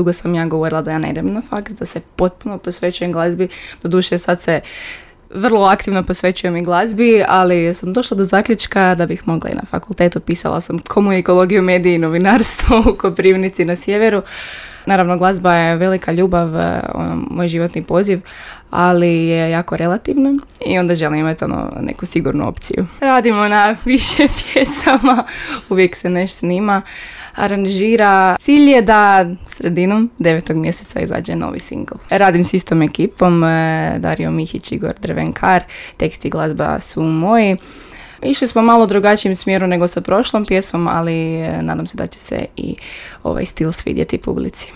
dugo sam ja govorila da ja ne idem na faks, da se potpuno posvećujem glazbi. Doduše sad se vrlo aktivno posvećujem i glazbi, ali sam došla do zaključka da bih mogla i na fakultetu. Pisala sam komunikologiju, mediji i novinarstvo u Koprivnici na sjeveru. Naravno, glazba je velika ljubav, moj životni poziv, ali je jako relativno i onda želim imati neku sigurnu opciju. Radimo na više pjesama, uvijek se nešto snima, aranžira. Cilj je da sredinom 9. mjeseca izađe novi singl. Radim s istom ekipom, Dario Mihić, Igor Drvenkar, tekst i glazba su moji. Išli smo malo drugačijim smjeru nego sa prošlom pjesmom, ali nadam se da će se i ovaj stil svidjeti publici.